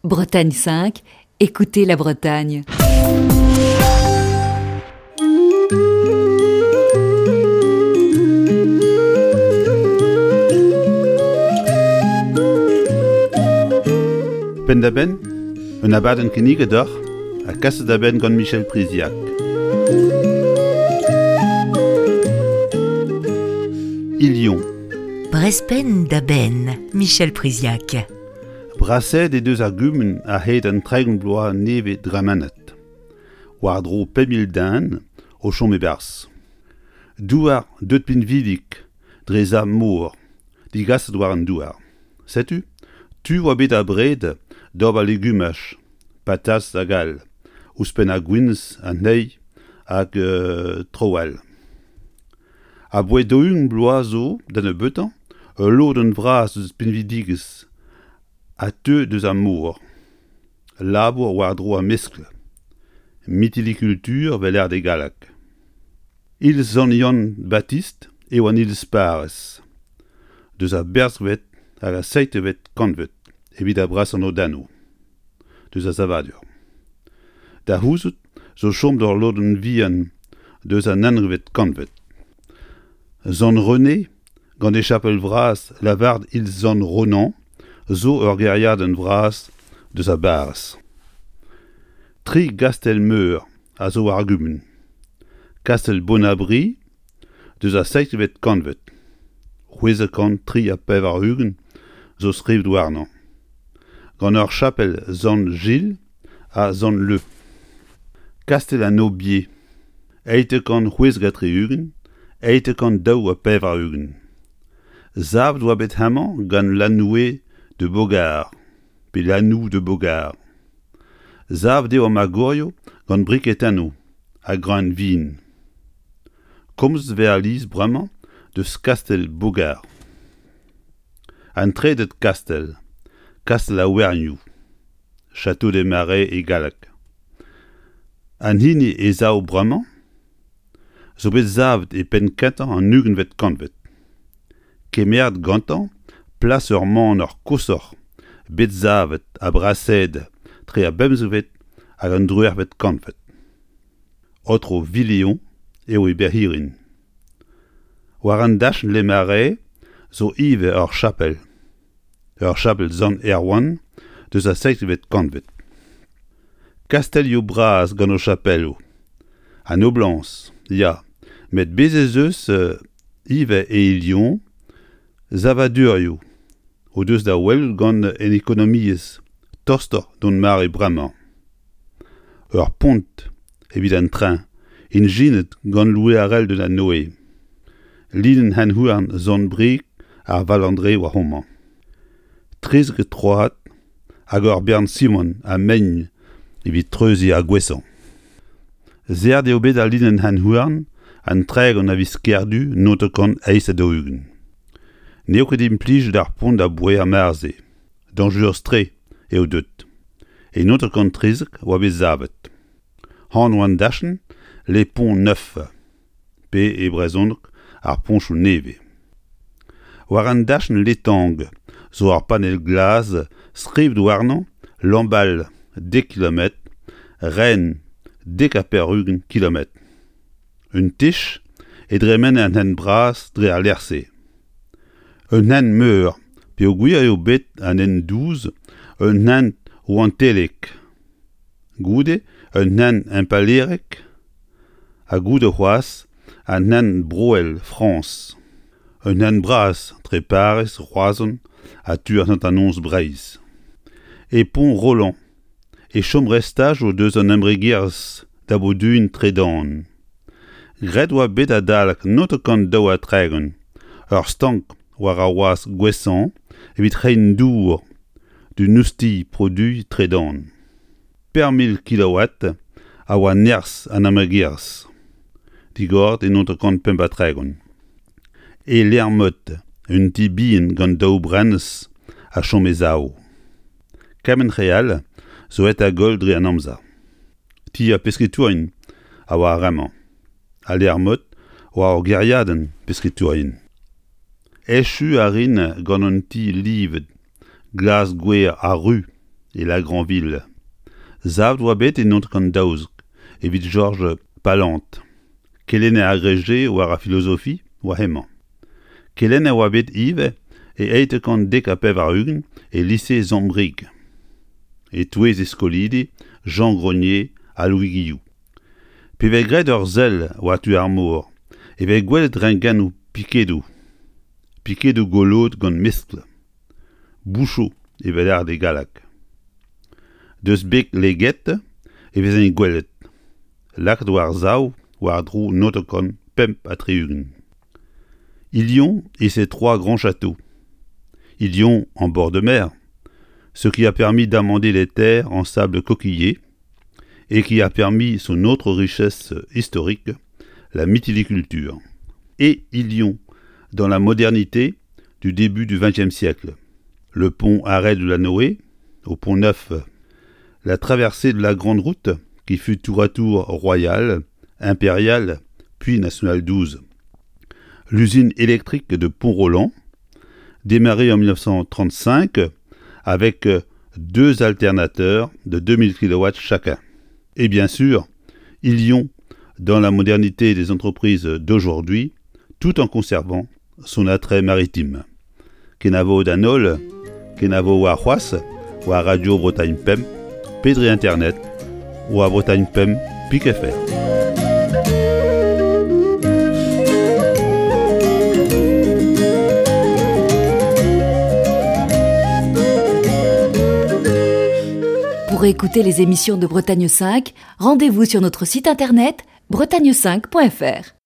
Bretagne 5, écoutez la Bretagne. Penn-da-benn, un abadenn kinniget deoc'h ha kaset da benn gant Michel Priziac. Ilion. Brest penn-da-benn, Michel Priziac. Brasaet he deus ar gumun a-hed an 30 bloaz nevez dremenet, war-dro 5 000 den o chom e-barzh. Douar deuet pinvidik dre sav-mor digaset war an douar. Setu, tu oa bet abred d'ober legumaj, patas hag all, ouzhpenn ar gwinizh, an teil hag traoù all. Aboae 40 bloaz zo da nebeutañ ul lodenn vras eus pinvidigezh a teu deus ar mor. Labour war-dro ar meskl, mytiliculture 'vel lâret e galleg. Iliz Sant-Yann-Batist eo an iliz parrez, deus ar berzhvet hag ar seitevet kantved evit ar brasañ lodennoù deus ar savadur. Da c'houzout zo chom d'ur lodenn vihan deus an unvet kantved. Sant-René, gant e chapel vras lavaret iliz Sant-Ronan, zo ur gêriadenn vras deus ar barrez. Tri gastell-meur a zo war ar gumun. Kastell Bonabri deus ar seizhvet kantved, 683 zo skrivet warnañ, gant ur chapel Sant-Jil ha Sant-Leu. Kastell an Aubier, 876, 882. Savet oa bet hemañ gant Lanoue de Beaugard pe Lanoue de Beaugard. Savet eo ar magorioù gant briketennoù ha greun vin. Komz 'vez alies bremañ deus kastell Beaugard. An trede kastell, kastell ar Wernioù, Château des Marais e galleg. An hini e sav bremañ zo bet savet e penn-kentañ an ugentvet kantved. Kemeret gantañ plas ur maner koshoc'h bet savet ha brasaet tre ar bemzekvet hag an driwec'hvet kantved. Aotrou Villeon eo e berc'hirin. War an dachenn Les Marais zo ivez ur chapel, ur chapel Sant Erwan deus ar seizhvet kantved. Kastellioù bras gant o chapelloù. An noblañs, ya, met bez' ez eus ivez e Lyon savadurioù o deus da welout gant an ekonomiezh tostoc'h d'hon mare bremañ. Ur pont evit an tren ijinet gant Louis Harel de la Noë. Linenn hent-houarn Sant-Brieg ar Valandre war homañ. 13 troad hag ur bern simant ha mein evit treuziñ ar gouesañ. Serret eo bet al linenn hent-houarn an 30 a viz Kerdu 1948. N'eo ket implijet ar pont aboae ar mare-se. Dañjerus-tre eo deuet. E 1913 oa bet savet. Anv an dachenn Les Ponts Neufs pe e brezhoneg ar poñchoù nevez. War an dachenn Letang zo ur panell glas skrivet warnañ Lambal dek kilometr, Rennes 90 kilometr. Un tech e dremene an hent bras dre al lec'h-se. Un hent meur peogwir eo bet an hent dous un hent rouantelek. Goude un hent impalaerek ha goude c'hoazh an hent broel Frañs. Un hent bras tre Pariz, Roazhon ha tu an hanternoz Breizh. E Pont-Rolland e chom restajoù deus an embregerezh da broduiñ tredan. Graet oa bet adalek 1932 ur stank war ar wazh Gouessant evit reiñ dour d'un oustilh produiñ tredan. 5000 kilowatt a oa nerzh an embregerezh, digoret e 1935. E Lermot, un ti bihan gant daou brenez a chom e sav. Kement re all zo aet da goll dre an amzer. Ti ar pesketourien a oa ar re-mañ. Ha Lermot oa ur gêriadenn pesketourien. Echu a rin gant un ti livet glas-gwer ha ru. e La Granville. Savet oa bet e 1912 evit Jorj Pallant, kelenner agrégé war ar filozofi oa hemañ. Kelenner oa bet ivez e 1890 e lise Sant-Brieg. E-touez e skolidi Jean Grenier ha Louis Guilloux. Pe vez graet ur sell war tu ar mor e vez gwelet renkennoù pikedoù, pikedoù goloet gant meskl, bouchoù evel ard e galleg. Deus beg Leget e vezent gwelet, lakaet war-sav war-dro 1965. Ilion et ses trois grands châteaux. Ilion en bord de mer, ce qui a permis d'amender les terres en sable coquillé et qui a permis son autre richesse historique, la mytiliculture. Et Ilion dans la modernité du début du XXe siècle. Le pont Arrêt de la Noé, au pont Neuf, la traversée de la grande route qui fut tour à tour royale, impériale, puis nationale 12. L'usine électrique de Pont-Roland, démarrée en 1935 avec deux alternateurs de 2000 kW chacun. Et bien sûr, Ilion dans la modernité des entreprises d'aujourd'hui, tout en conservant son attrait maritime. Kenavo d'an holl, kenavo warc'hoazh war Radio Bretagne Pemp, pe dre internet, war Bretagne Pemp pik FR. Pour écouter les émissions de Bretagne 5, rendez-vous sur notre site internet bretagne5.fr.